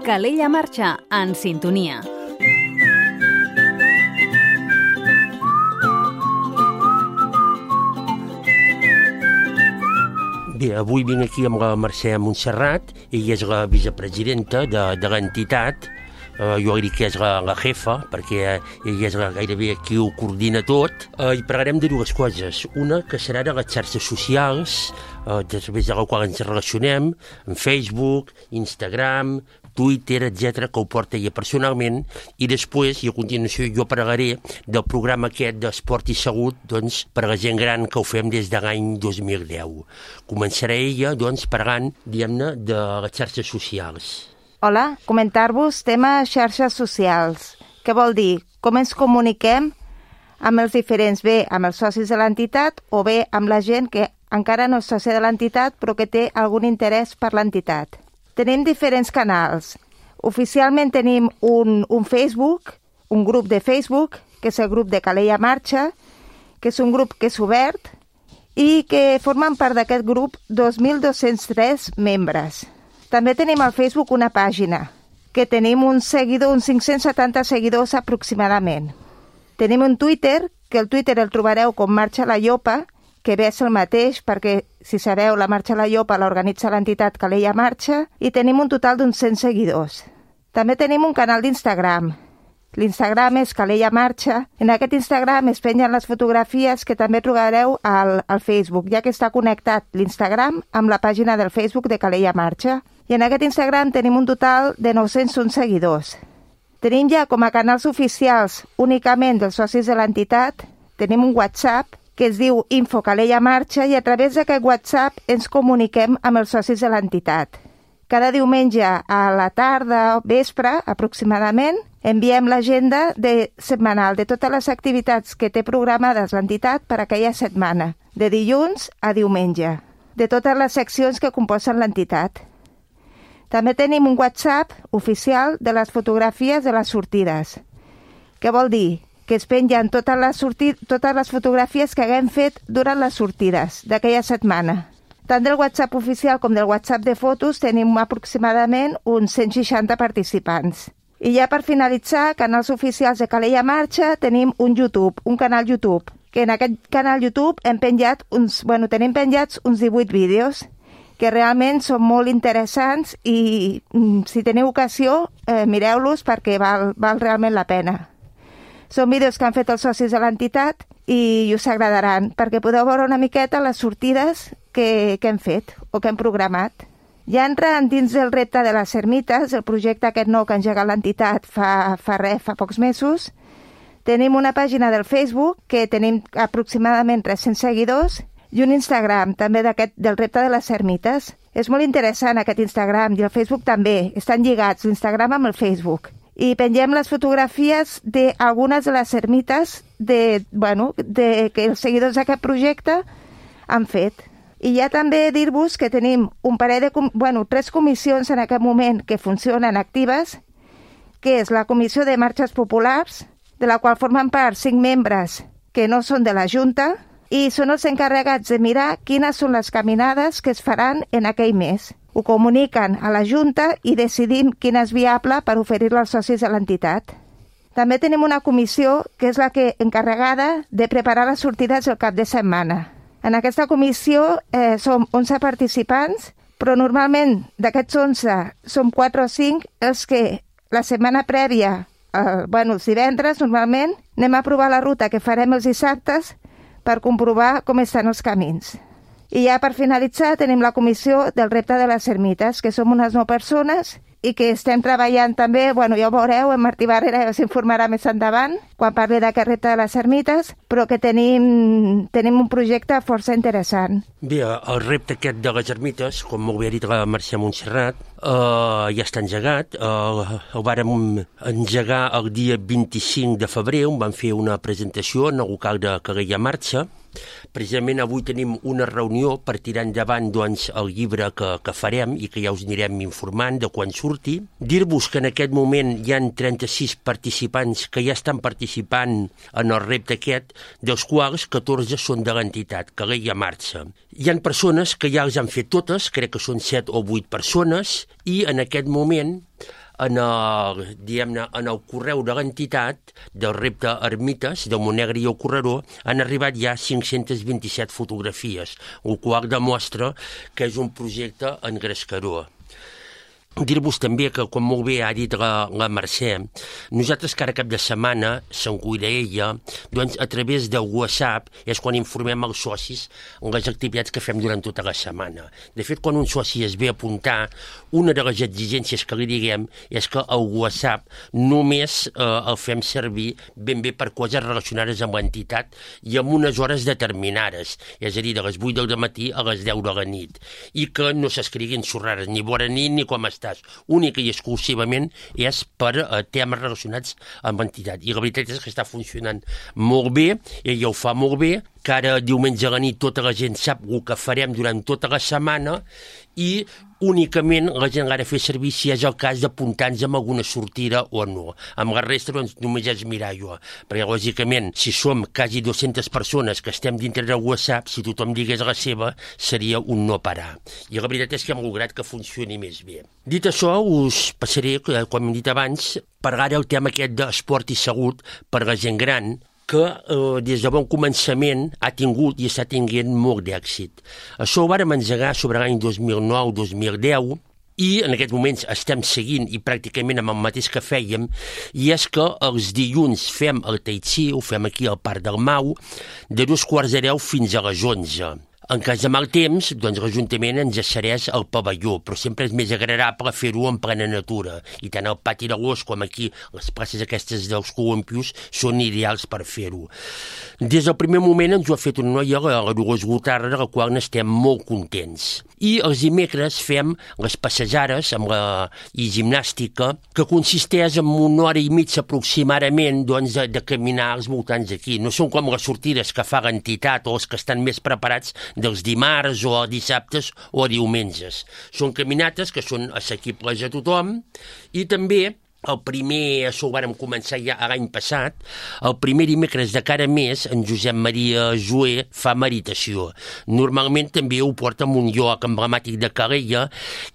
Calella Marxa, en sintonia. Bé, avui vinc aquí amb la Mercè Montserrat, ella és la vicepresidenta de l'entitat. Jo dic que és la jefa, perquè ella és gairebé qui ho coordina tot. I parlarem de dues coses. Una, que serà de les xarxes socials, a través de la qual ens relacionem, en Facebook, Instagram, Twitter, etc., que ho porta ella personalment, i després, i a continuació, jo parlaré del programa aquest d'Esport i Salut, doncs, per a la gent gran que ho fem des de l'any 2010. Començarà ella, doncs, parlant, diguem-ne, de les xarxes socials. Hola, comentar-vos tema xarxes socials. Què vol dir? Com ens comuniquem amb els diferents, bé amb els socis de l'entitat o bé amb la gent que encara no és soci de l'entitat però que té algun interès per l'entitat. Tenim diferents canals. Oficialment tenim un Facebook, un grup de Facebook, que és el grup de Calella Marxa, que és un grup que és obert i que formen part d'aquest grup 2.203 membres. També tenim al Facebook una pàgina, que tenim uns 570 seguidors aproximadament. Tenim un Twitter, que el Twitter el trobareu com Marxa la Llopa, que bé és el mateix, perquè, si sabeu, la Marxa la Llopa l'organitza l'entitat Calella Marxa, i tenim un total d'uns 100 seguidors. També tenim un canal d'Instagram. L'Instagram és Calella Marxa. En aquest Instagram es pengen les fotografies que també trobareu al Facebook, ja que està connectat l'Instagram amb la pàgina del Facebook de Calella Marxa. I en aquest Instagram tenim un total de 901 seguidors. Tenim ja com a canals oficials únicament dels socis de l'entitat, tenim un WhatsApp que es diu Info Calella Marxa, i a través d'aquest WhatsApp ens comuniquem amb els socis de l'entitat. Cada diumenge a la tarda o vespre, aproximadament, enviem l'agenda setmanal de totes les activitats que té programades l'entitat per aquella setmana, de dilluns a diumenge, de totes les seccions que composen l'entitat. També tenim un WhatsApp oficial de les fotografies de les sortides. Què vol dir? Que es pengen totes les fotografies que haguem fet durant les sortides d'aquella setmana. Tant del WhatsApp oficial com del WhatsApp de fotos tenim aproximadament uns 160 participants. I ja per finalitzar, canals oficials de Calella Marxa, tenim un canal YouTube, que en aquest canal YouTube tenim penjats uns 18 vídeos, que realment són molt interessants i si teniu ocasió, mireu-los perquè val realment la pena. Són vídeos que han fet els socis de l'entitat i us agradaran, perquè podeu veure una miqueta les sortides que hem fet o que hem programat. Ja entrant dins del repte de les ermites, el projecte aquest nou que ha engegat l'entitat fa pocs mesos, tenim una pàgina del Facebook que tenim aproximadament 300 seguidors i un Instagram també del repte de les ermites. És molt interessant aquest Instagram i el Facebook també, estan lligats l'Instagram amb el Facebook. I pengem les fotografies d'algunes de les ermites que els seguidors d'aquest projecte han fet. I ja també dir-vos que tenim un parell de 3 comissions en aquest moment que funcionen actives, que és la Comissió de Marxes Populars, de la qual formen part 5 membres que no són de la Junta, i són els encarregats de mirar quines són les caminades que es faran en aquell mes. Ho comuniquen a la Junta i decidim quina és viable per oferir-la als socis de l'entitat. També tenim una comissió que és la encarregada de preparar les sortides del cap de setmana. En aquesta comissió som 11 participants, però normalment d'aquests 11 som 4 o 5 els que la setmana prèvia, els divendres normalment, anem a provar la ruta que farem els dissabtes per comprovar com estan els camins. I ja per finalitzar tenim la comissió del repte de les ermites, que som unes 9 persones i que estem treballant també, ja ho veureu, en Martí Barrera s'informarà més endavant quan parli d'aquest repte de les ermites, però que tenim un projecte força interessant. Bé, el repte aquest de les ermites, com molt bé ha dit la Mercè Montserrat, ja està engegat. El vàrem engegar el dia 25 de febrer, on vam fer una presentació en el local de Calella Marxa. Precisament avui tenim una reunió per tirar endavant el llibre que farem i que ja us anirem informant de quan surti. Dir-vos que en aquest moment hi ha 36 participants que ja estan participant en el repte aquest, dels quals 14 són de l'entitat Calella Marxa. Hi ha persones que ja les han fet totes, crec que són 7 o 8 persones, i en aquest moment en el correu de l'entitat del repte Ermites, del Montnegre i el Correró, han arribat ja 527 fotografies, el qual demostra que és un projecte engrescador. Dir-vos també que, com molt bé ha dit la Mercè, nosaltres cada cap de setmana, se'n cuida ella, doncs a través del WhatsApp és quan informem els socis les activitats que fem durant tota la setmana. De fet, quan un soci es ve a apuntar, una de les exigències que li diguem és que el WhatsApp només el fem servir ben bé per coses relacionades amb l'entitat i amb unes hores determinades, és a dir, de les 8 del matí a les 10 de la nit, i que no s'escriguin xorrades ni bona nit ni com està. Única i exclusivament és per temes relacionats amb l'entitat. I la veritat és que està funcionant molt bé, ella ho fa molt bé, cada diumenge a la nit tota la gent sap el que farem durant tota la setmana i únicament la gent l'ha de fer servir si és el cas d'apuntar-nos amb alguna sortida o no. Amb la resta doncs, només és mirar-ho, perquè lògicament si som quasi 200 persones que estem dintre del WhatsApp, si tothom digués la seva seria un no parar. I la veritat és que hem lograt que funcioni més bé. Dit això, us passaré, com hem dit abans, parlar del tema aquest d'esport i salut per la gent gran, que des de bon començament ha tingut i està tinguent molt d'èxit. Això ho vàrem engegar sobre l'any 2009-2010 i en aquests moments estem seguint i pràcticament amb el mateix que fèiem, i és que els dilluns fem el Tai Chi, ho fem aquí al Parc del Mau, de 2:45 fins a les 11. En cas de mal temps, doncs l'Ajuntament ens cedeix al pavelló, però sempre és més agradable fer-ho en plena natura. I tant el pati de l'Os com aquí, les places aquestes dels columpios, són ideals per fer-ho. Des del primer moment ens ho ha fet una noia, la Dolors Gotarra, de la qual n'estem molt contents. I els dimecres fem les passejades i gimnàstica, que consisteix en 1 hora i mitja aproximadament doncs, de caminar als voltants d'aquí. No són com les sortides que fa l'entitat o els que estan més preparats dels dimarts o dissabtes o diumenges. Són caminates que són assequibles a tothom i també el primer, això ho vàrem començar ja l'any passat, el primer dimecres de cada mes en Josep Maria Joé fa meditació. Normalment també ho porta en un lloc emblemàtic de Calella,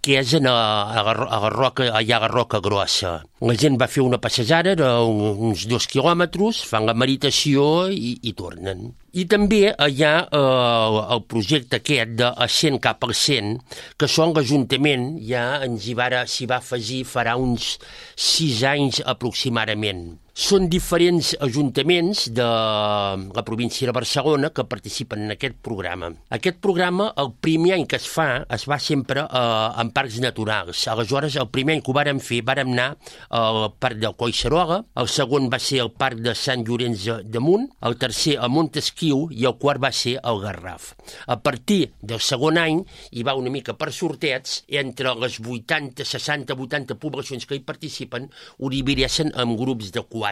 que és a la Roca, allà a la Roca Grossa. La gent va fer una passejada d'uns 2 quilòmetres, fan la meditació i tornen. I també hi ha el projecte aquest de 100 cap al 100, que són l'Ajuntament, ja s'hi va afegir farà uns 6 anys aproximadament. Són diferents ajuntaments de la província de Barcelona que participen en aquest programa. Aquest programa, el primer any que es va sempre en parcs naturals. Aleshores, el primer any que ho vàrem fer, vàrem anar al Parc del Collserola, el segon va ser el Parc de Sant Llorenç de Munt, el tercer a Montesquiu i el quart va ser al Garraf. A partir del segon any hi va una mica per sorteig, entre les 80, 60, 80 poblacions que hi participen, ho divideixen en grups de 4.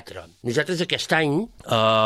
Nosaltres aquest any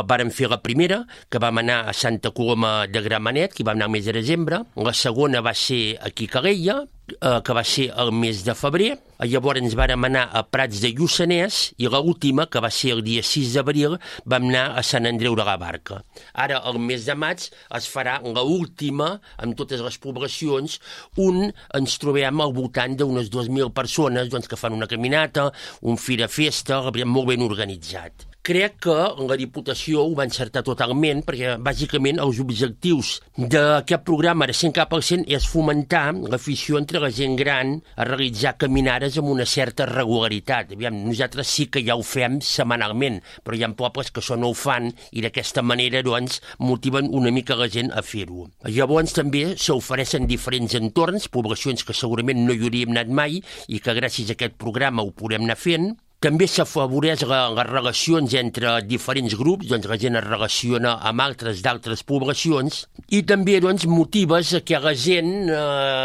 vàrem fer la primera, que vam anar a Santa Coloma de Gramenet, que hi vam anar al mes de desembre. La segona va ser aquí a Calella, que va ser el mes de febrer. Llavors ens vàrem anar a Prats de Lluçanès i l'última, que va ser el dia 6 d'abril, vam anar a Sant Andreu de la Barca. Ara, el mes de maig, es farà l'última amb totes les poblacions, on ens trobem al voltant d'unes 2.000 persones doncs, que fan una caminata, un fira-festa, molt ben organitzat. Crec que la Diputació ho va encertar totalment perquè, bàsicament, els objectius d'aquest programa de 100 cap al 100 és fomentar l'afició entre la gent gran a realitzar caminades amb una certa regularitat. Nosaltres sí que ja ho fem setmanalment, però hi ha pobles que això no ho fan i d'aquesta manera doncs, motiven una mica la gent a fer-ho. Llavors també s'ofereixen diferents entorns, poblacions que segurament no hi hauríem anat mai i que gràcies a aquest programa ho podem anar fent. També s'afavoreix les relacions entre diferents grups, doncs la gent es relaciona amb d'altres poblacions i també doncs, motives que la gent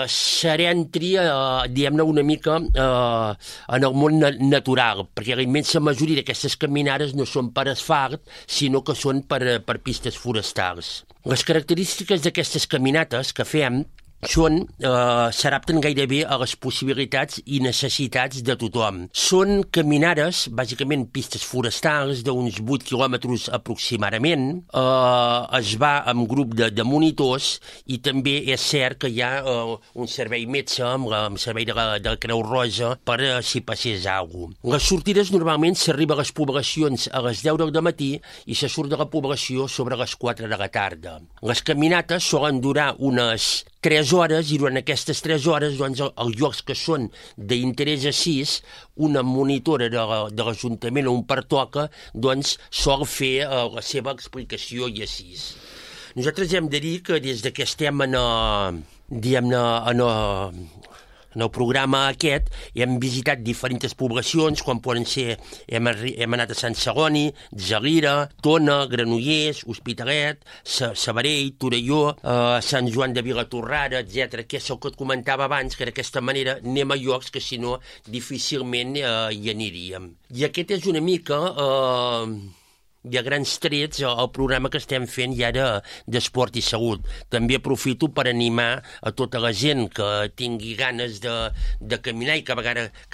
s'entri, diguem-ne, una mica en el món natural, perquè la immensa majoria d'aquestes caminades no són per asfalt, sinó que són per pistes forestals. Les característiques d'aquestes caminates que fem s'adapten gairebé a les possibilitats i necessitats de tothom. Són caminades, bàsicament pistes forestals d'uns 8 quilòmetres aproximadament. Es va amb grup de monitors i també és cert que hi ha un servei metge amb el servei de la Creu Roja per si passés alguna cosa. Les sortides normalment s'arriba a les poblacions a les 10 del matí i se surt de la població sobre les 4 de la tarda. Les caminates solen durar unes 3 hores i durant aquestes 3 hores, doncs, els llocs que són d'interès assís, una monitora de l'Ajuntament o un pertoca, doncs, sol fer la seva explicació i assís. Nosaltres hem de dir que des que estem en el programa aquest hem visitat diferents poblacions, com poden ser, hem anat a Sant Celoni, Gelida, Tona, Granollers, Hospitalet, Sabadell, Torelló, Sant Joan de Vilatorrada, etc. Que és el que et comentava abans, que d'aquesta manera anem a llocs que si no difícilment hi aniríem. I aquest és una mica... i a grans trets el programa que estem fent ja d'esport i salut. També aprofito per animar a tota la gent que tingui ganes de caminar i que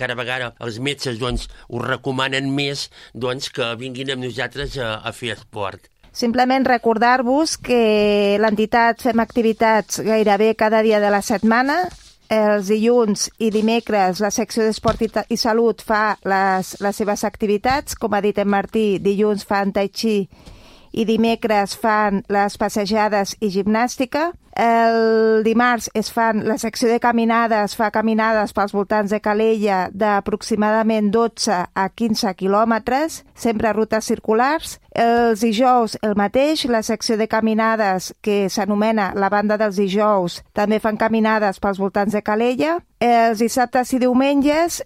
cada vegada els metges doncs, us recomanen més doncs, que vinguin amb nosaltres a fer esport. Simplement recordar-vos que l'entitat fem activitats gairebé cada dia de la setmana. Els dilluns i dimecres la secció d'Esport i Salut fa les seves activitats. Com ha dit en Martí, dilluns fan tai chi i dimecres fan les passejades i gimnàstica. El dimarts la secció de caminades, fa caminades pels voltants de Calella d'aproximadament 12 a 15 quilòmetres, sempre rutes circulars. Els dijous el mateix, la secció de caminades que s'anomena la banda dels dijous, també fan caminades pels voltants de Calella. Els dissabtes i diumenges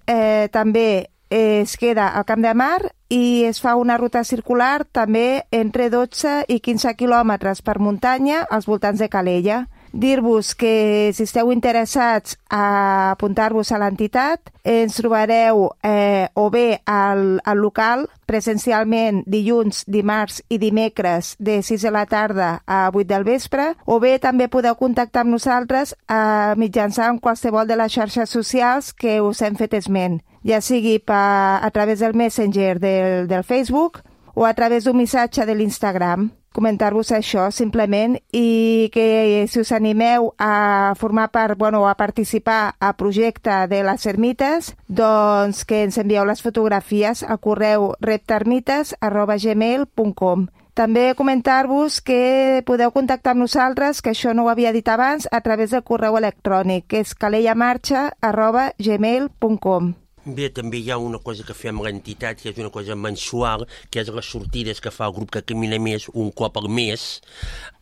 també es queda al Camp de Mar i es fa una ruta circular també entre 12 i 15 quilòmetres per muntanya als voltants de Calella. Dir-vos que si esteu interessats a apuntar-vos a l'entitat, ens trobareu o bé al local presencialment dilluns, dimarts i dimecres de 6 de la tarda a 8 del vespre, o bé també podeu contactar amb nosaltres mitjançant qualsevol de les xarxes socials que us hem fet esment, ja sigui a través del Messenger del Facebook o a través d'un missatge de l'Instagram. Comentar-vos això, simplement, i que si us animeu a formar part, a participar al projecte de les ermites, doncs que ens envieu les fotografies al correu reptermites@gmail.com. També comentar-vos que podeu contactar amb nosaltres, que això no ho havia dit abans, a través del correu electrònic, que és calellamarxa@gmail.com. Bé, també hi ha una cosa que fem a l'entitat, que és una cosa mensual, que és les sortides que fa el grup que camina més un cop al mes.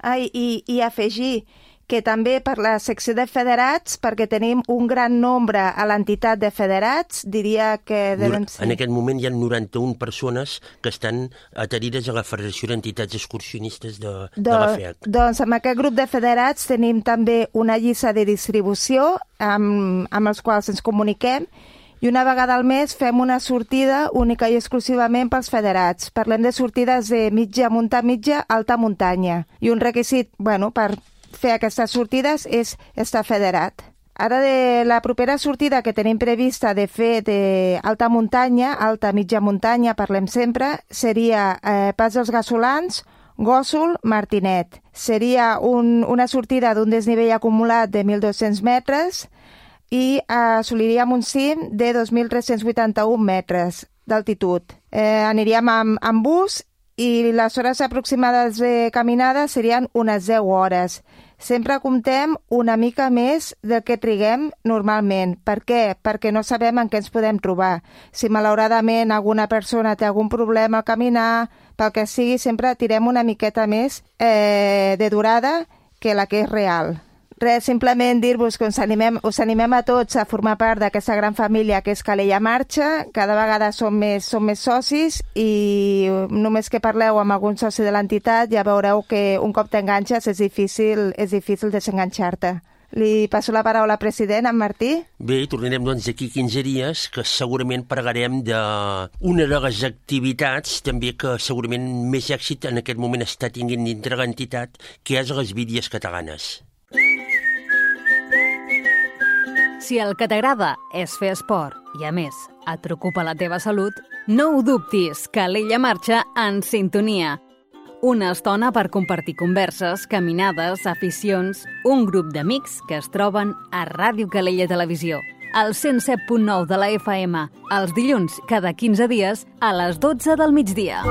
I afegir que també per la secció de federats, perquè tenim un gran nombre a l'entitat de federats, diria que devem ser... En aquest moment hi ha 91 persones que estan adherides a la Federació d'Entitats Excursionistes de la FEAC. Doncs amb aquest grup de federats tenim també una llista de distribució amb els quals ens comuniquem, i una vegada al mes fem una sortida única i exclusivament pels federats. Parlem de sortides de mitja alta muntanya. I un requisit, per fer aquestes sortides és estar federat. Ara de la propera sortida que tenim prevista de fer d'alta muntanya, mitja muntanya, parlem sempre, seria Pas dels Gasolans, Gósol, Martinet. Seria una sortida d'un desnivell acumulat de 1.200 metres, i assoliríem un cim de 2.381 metres d'altitud. Aniríem amb bus i les hores aproximades de caminada serien unes 10 hores. Sempre comptem una mica més del que triguem normalment. Per què? Perquè no sabem en què ens podem trobar. Si malauradament alguna persona té algun problema al caminar, pel que sigui, sempre tirem una miqueta més de durada que la que és real. Res, simplement dir-vos que us animem a tots a formar part d'aquesta gran família que és Calella Marxa. Cada vegada som més socis i només que parleu amb algun soci de l'entitat ja veureu que un cop t'enganxes és difícil desenganxar-te. Li passo la paraula al president, en Martí. Bé, tornarem doncs d'aquí 15 dies, que segurament parlarem d'una de les activitats també que segurament més èxit en aquest moment està tinguent dintre l'entitat, que és les Vídies Catalanes. Si el que t'agrada és fer esport i, a més, et preocupa la teva salut, no ho dubtis, Calella marxa en sintonia. Una estona per compartir converses, caminades, aficions, un grup d'amics que es troben a Ràdio Calella Televisió, al 107.9 de la FM, els dilluns cada 15 dies a les 12 del migdia.